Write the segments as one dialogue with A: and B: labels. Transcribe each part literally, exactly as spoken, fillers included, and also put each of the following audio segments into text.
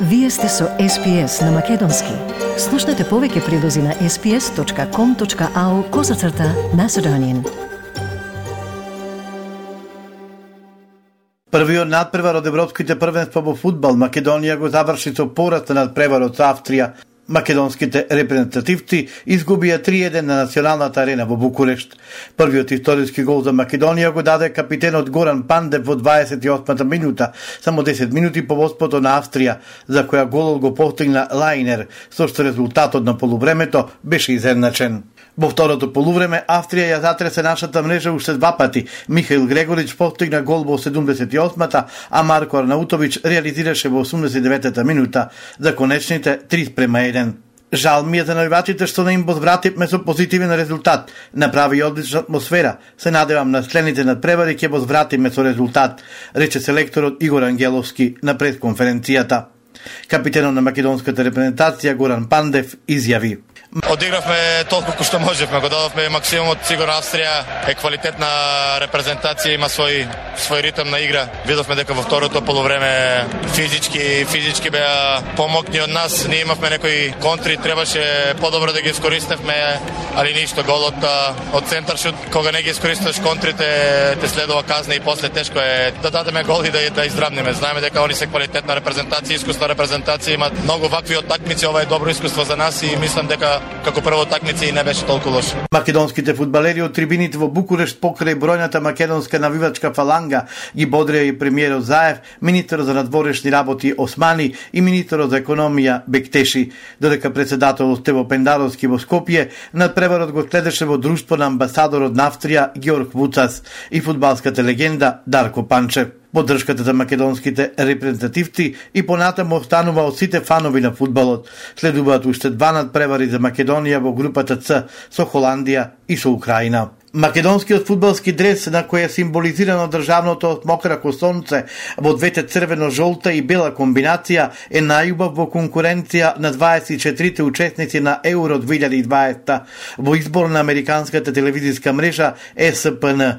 A: Вие сте со Ес Пи Ес на Македонски. Слушнете повеќе прилози на ес пи ес точка ком точка ау козацрта Macedonian.
B: Првиот надпревар од европските првенства во фудбал Македонија го заврши со пораз на надпреварот со Австрија. Македонските репрезентативци изгубија три еден на националната арена во Букурешт. Првиот историски гол за Македонија го даде капитенот Горан Пандев во дваесет и осмата минута, само десет минути по водството на Австрија, за која голот го постигна Лајнер, со што резултатот на полувремето беше изедначен. Во второто полувреме Австрија ја затресе нашата мрежа уште два пати. Михаил Грегорич постигна гол во седумдесет и осмата, а Марко Арнаутович реализираше во осумдесет и деветата минута за конечните три спрема еден. Жал ми е за навивачите што не им возвративме со позитивен резултат. Направи одлична атмосфера. Се надевам на следните надпревари ќе возвратиме со резултат, рече селекторот Игор Ангеловски на пресконференцијата. Капитенот на македонската репрезентација Горан Пандев изјави:
C: Одигравме толку кој што можевме, го дадовме максимумот. Сигурно Австрија е квалитетна репрезентација, има свој свој ритм на игра. Видовме дека во второто полувреме физички физички беа помокни од нас. Ние имавме некои контри, требаше подобро да ги искористевме, али ништо. Голот од центар шут, кога не ги искористуваш контрите, те следува казна и после тешко е да дадеме гол и да да издрабнеме. Знаеме дека они се квалитетна репрезентација, искусна репрезентација, имаат многу вакви од такмици. Ова е добро искуство за нас и мислам дека како прво такмици не беше толку лош.
B: Македонските фудбалери од трибините во Букурешт покрај бројната македонска навивачка фаланга ги бодрија и премиерот Заев, министерот за надворешни работи Османи и министерот за економија Бектеши, додека председателот Стево Пендаровски во Скопје надпреварот го следеше во друштво на амбасадорот на Австрија Георг Вуцас и фудбалската легенда Дарко Панчев. Поддршката за македонските репрезентативци и понатаму останува од сите фанови на фудбалот. Следуваат уште два надпревари за Македонија во групата Ц со Холандија и со Украина. Македонскиот фудбалски дрес, на кој е символизирано државното отмокрако сонце во двете црвено-жолта и бела комбинација, е најубав во конкуренција на дваесет и четирите учесници на Еуро две илјади и дваесета во избор на американската телевизиска мрежа Е С Пе Ен.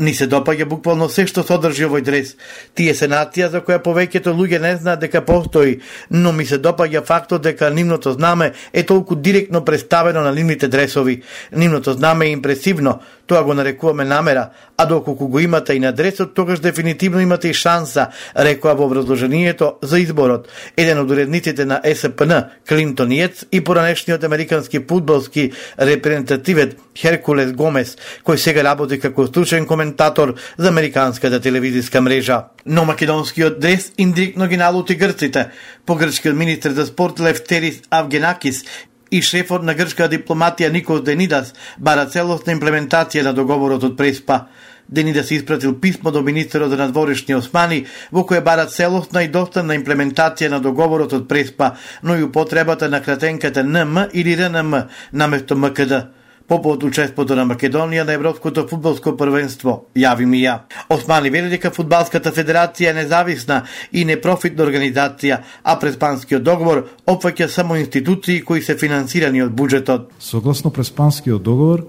B: Ни се допаѓа буквално се што содржи овој дрес. Тие се нација за која повеќето луѓе не знаат дека постои, но ми се допаѓа фактот дека нивното знаме е толку директно представено на нивните дресови. Нивното знаме е импресивно, тоа го нарекуваме намера, а доколку го имате и на дресот, тогаш дефинитивно имате и шанса, рекоа во образложението за изборот еден од уредниците на Е С Пе Ен, Клинтон Јец, и поранешниот американски фудбалски репрезентативец Херкулес Гомес, кој сега работи како стручен коментатор за американската телевизиска мрежа. Но македонскиот дрес индиректно ги налути грците. По грчкиот министер за спорт Лефтерис Авгенакис и шефот на грчка дипломатија Никос Денидас бара целосна имплементација на договорот од Преспа. Денидас испратил писмо до министерот за надворешни Османи, во кое бара целосна и доставна имплементација на договорот од Преспа, но и употребата на кратенката Ен Ем или Р Н М наместо М К Д. По повод учеството на Македонија на Европското фудбалско првенство, јави ми ја. Османи вели дека фудбалската федерација е независна и непрофитна организација, а Преспанскиот договор опфаќа само институции кои се финансирани од буџетот.
D: Согласно Преспанскиот договор,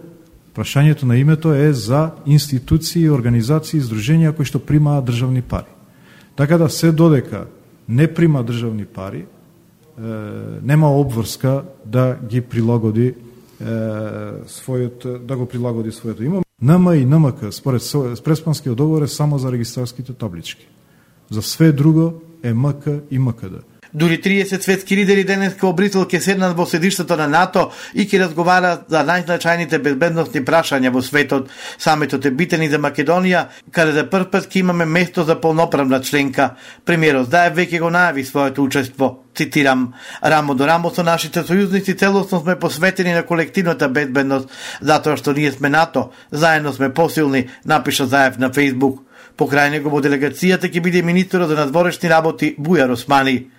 D: прашањето на името е за институции, организации и здруженија кои што примаат државни пари. Така да се додека не прима државни пари, е, нема обврска да ги прилагоди својот, да го прилагоди своето име. Ен Ем и Н М К според Преспанскиот договор е само за регистарските таблички. За све друго е М К и М К Д.
B: Дури триесет светски лидери денеска во Брисел ќе седнат во седиштето на НАТО и ќе разговараат за најзначајните безбедносни прашања во светот. Самитот е битен и за Македонија, каде за прв пат ќе имаме место за полноправна членка. Премиерот Заев веќе го најави своето учество. Цитирам: рамо до рамо со нашите сојузници целосно сме посветени на колективната безбедност, затоа што ние сме НАТО, заедно сме посилни, напиша Заев на Фејсбук. Покрај него во делегацијата ќе биде министерот за надворешни работи Бујар Османи.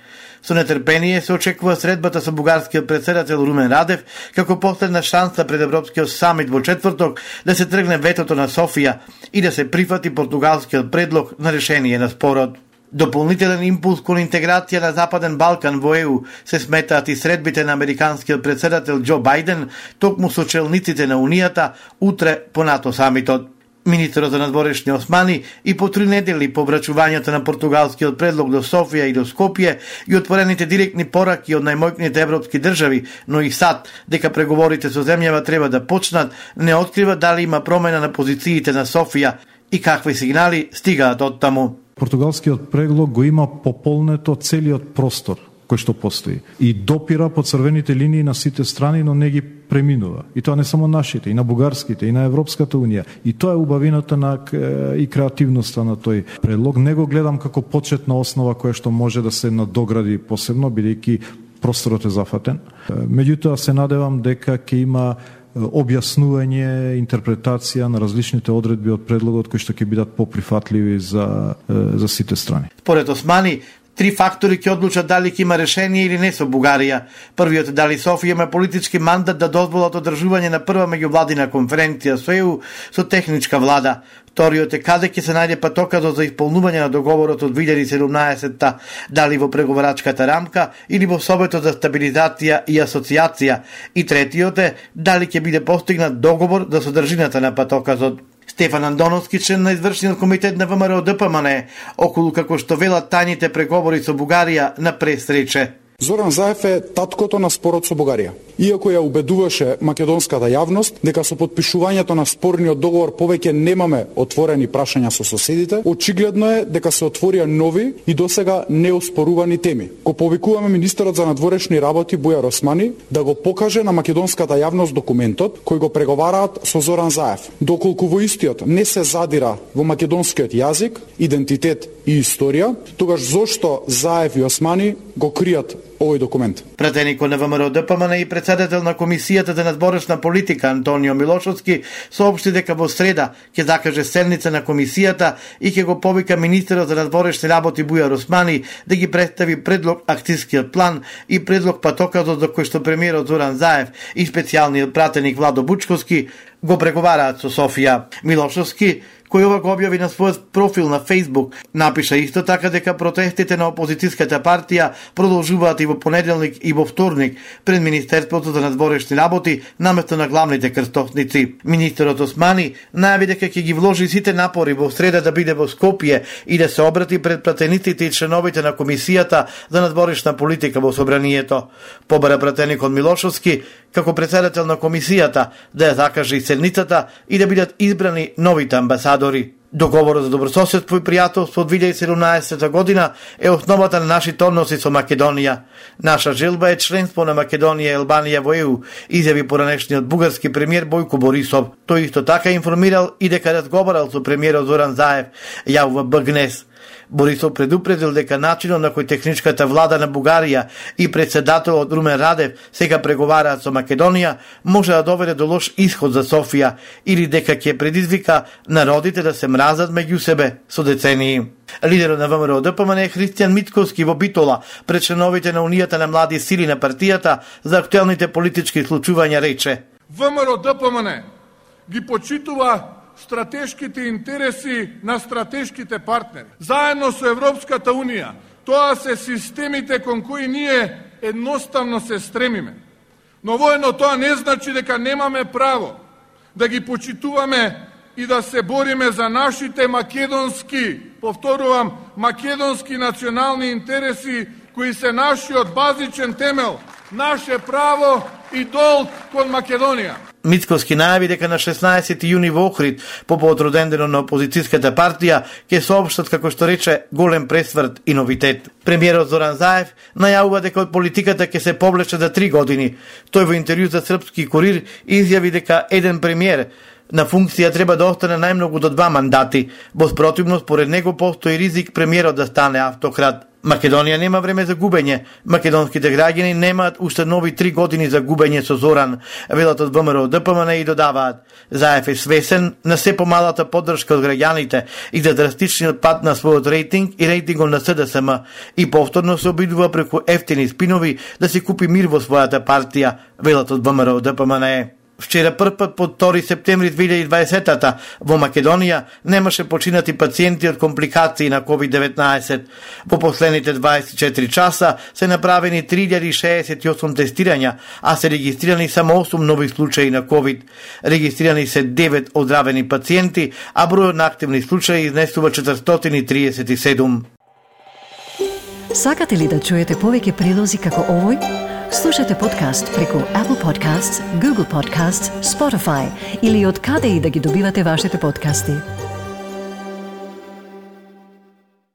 B: Со нетрпение се очекува средбата со бугарскиот претседател Румен Радев како последна шанса пред Европскиот самит во четврток да се тргне ветото на Софија и да се прифати португалскиот предлог на решение на спорот. Дополнителен импулс кон интеграција на Западен Балкан во Е У се сметаат и средбите на американскиот претседател Џо Бајден токму со челниците на Унијата утре по НАТО самитот. Министерот за надворешни Османи и по три недели по врачувањето на португалскиот предлог до Софија и до Скопје и отворените директни пораки од најмоćните европски држави, но и САД дека преговорите со земјава треба да почнат, не открива дали има промена на позициите на Софија и какви сигнали стигаат од таму.
D: Португалскиот предлог го има пополнето целиот простор кој што постои и допира по црвените линии на сите страни, но не ги преминува. И тоа не само нашите, и на бугарските, и на Европската унија. И тоа е убавината на и креативноста на тој предлог. Не го гледам како почетна основа која што може да се надогради посебно, бидејќи просторот е зафатен. Меѓутоа се надевам дека ќе има објаснување, интерпретација на различните одредби од предлогот кои што ќе бидат поприфатливи за за сите страни.
B: Според Османи, три фактори ќе одлучат дали ќе има решение или не со Бугарија. Првиот е дали Софија има политички мандат да дозволат одржување на прва меѓувладина конференција со Е У со техничка влада. Вториот е каде ќе се најде патоказот за исполнување на договорот од две илјади и седумнаесетта, дали во преговарачката рамка или во Советот за стабилизација и асоциација. И третиот е дали ќе биде постигнат договор за содржината на патоказот. Стефан Андоновски, член на извршниот комитет на ВМРО Д П М Н, околу како што велат тајните преговори со Бугарија на пресрече.
E: Зоран Заев е таткото на спорот со Бугарија. Иако ја убедуваше македонската јавност дека со подпишувањето на спорниот договор повеќе немаме отворени прашања со соседите, очигледно е дека се отворија нови и досега неоспорувани теми. Го повикуваме министерот за надворешни работи Бујар Османи да го покаже на македонската јавност документот кој го преговараат со Зоран Заев. Доколку во истиот не се задира во македонскиот јазик, идентитет и историја, тогаш зошто Заев и Османи го кријат овој документ?
B: Пратеникот на ВМРО Д П М Н и председател на Комисијата за надворешна политика Антонио Милошовски соопшти дека во среда ќе закаже седница на комисијата и ќе го повика министерот за надворешни работи Бујар Османи да ги представи предлог акцијскиот план и предлог патоказот за кој што премиерот Зоран Заев и специјалниот пратеник Владо Бучковски го преговараат со Софија. Милошовски, кој ова го објави на својот профил на Facebook, напиша исто така дека протестите на опозицијската партија продолжуваат и во понеделник и во вторник пред Министерството за надворешни работи наместо на главните крстосници. Министерот Османи најави дека ќе ги вложи сите напори во среда да биде во Скопје и да се обрати пред пратениците и членовите на Комисијата за надворешна политика во Собранието. Побара пратеникот Милошовски како председател на комисијата да ја закаже и седницата и да бидат избрани новите амбасадори. Договорот за добрососедство и пријателство од две илјади и седумнаесета година е основата на нашите односи со Македонија. Наша желба е членство на Македонија и Албанија во Е У, изјави поранешниот бугарски премиер Бојко Борисов. Тој исто така информирал и дека разговарал со премиерот Зоран Заев, јавува Б Г Н Е С. Борисов предупредил дека начинот на кој техничката влада на Бугарија и председателот Румен Радев сега преговараат со Македонија може да доведе до лош исход за Софија или дека ќе предизвика народите да се мразат меѓу себе со децении. Лидерот на ВМРО Д П М Н Христијан Митковски во Битола пред членовите на Унијата на млади сили на партијата за актуелните политички случувања рече:
F: ВМРО Д П М Н ги почитува стратешките интереси на стратешките партнери. Заедно со Европската Унија, тоа се системите кон кои ние едноставно се стремиме. Но воедно тоа не значи дека немаме право да ги почитуваме и да се бориме за нашите македонски, повторувам, македонски национални интереси, кои се нашиот базичен темел, наше право и долг кон Македонија.
B: Мицковски најави дека на шеснаесети јуни во Охрид, по повод роденденот на опозицијската партија, ќе соопштат, како што рече, голем пресврт и новитет. Премиерот Зоран Заев најавува дека од политиката ќе се повлече за три години. Тој во интервју за Српски курир изјави дека еден премиер на функција треба да остане најмногу до два мандати. Во спротивно, според него постои ризик премиерот да стане автократ. Македонија нема време за губење. Македонските граѓани немаат уште нови три години за губење со Зоран, велат од ВМРО Д П М Н и додаваат: Заев е свесен на се помалата поддршка од граѓаните и за драстичниот пат на својот рейтинг и рейтингот на С Д С М и повторно се обидува преку ефтини спинови да си купи мир во својата партија, велат од ВМРО Д П М Н. Вчера првпат по втори септември две илјади и дваесета во Македонија немаше починати пациенти од компликации на ковид деветнаесет. Во последните дваесет и четири часа се направени три илјади шеесет и осум тестирања, а се регистрирани само осум нови случаи на ковид. Регистрирани се девет оздравени пациенти, а бројот на активни случаи изнесува четиристотини и триесет и седум.
A: Сакате ли да чуете повеќе прилози како овој? Слушате подкаст преку Apple Podcasts, Google Podcasts, Spotify или од каде и да ги добивате вашите подкасти.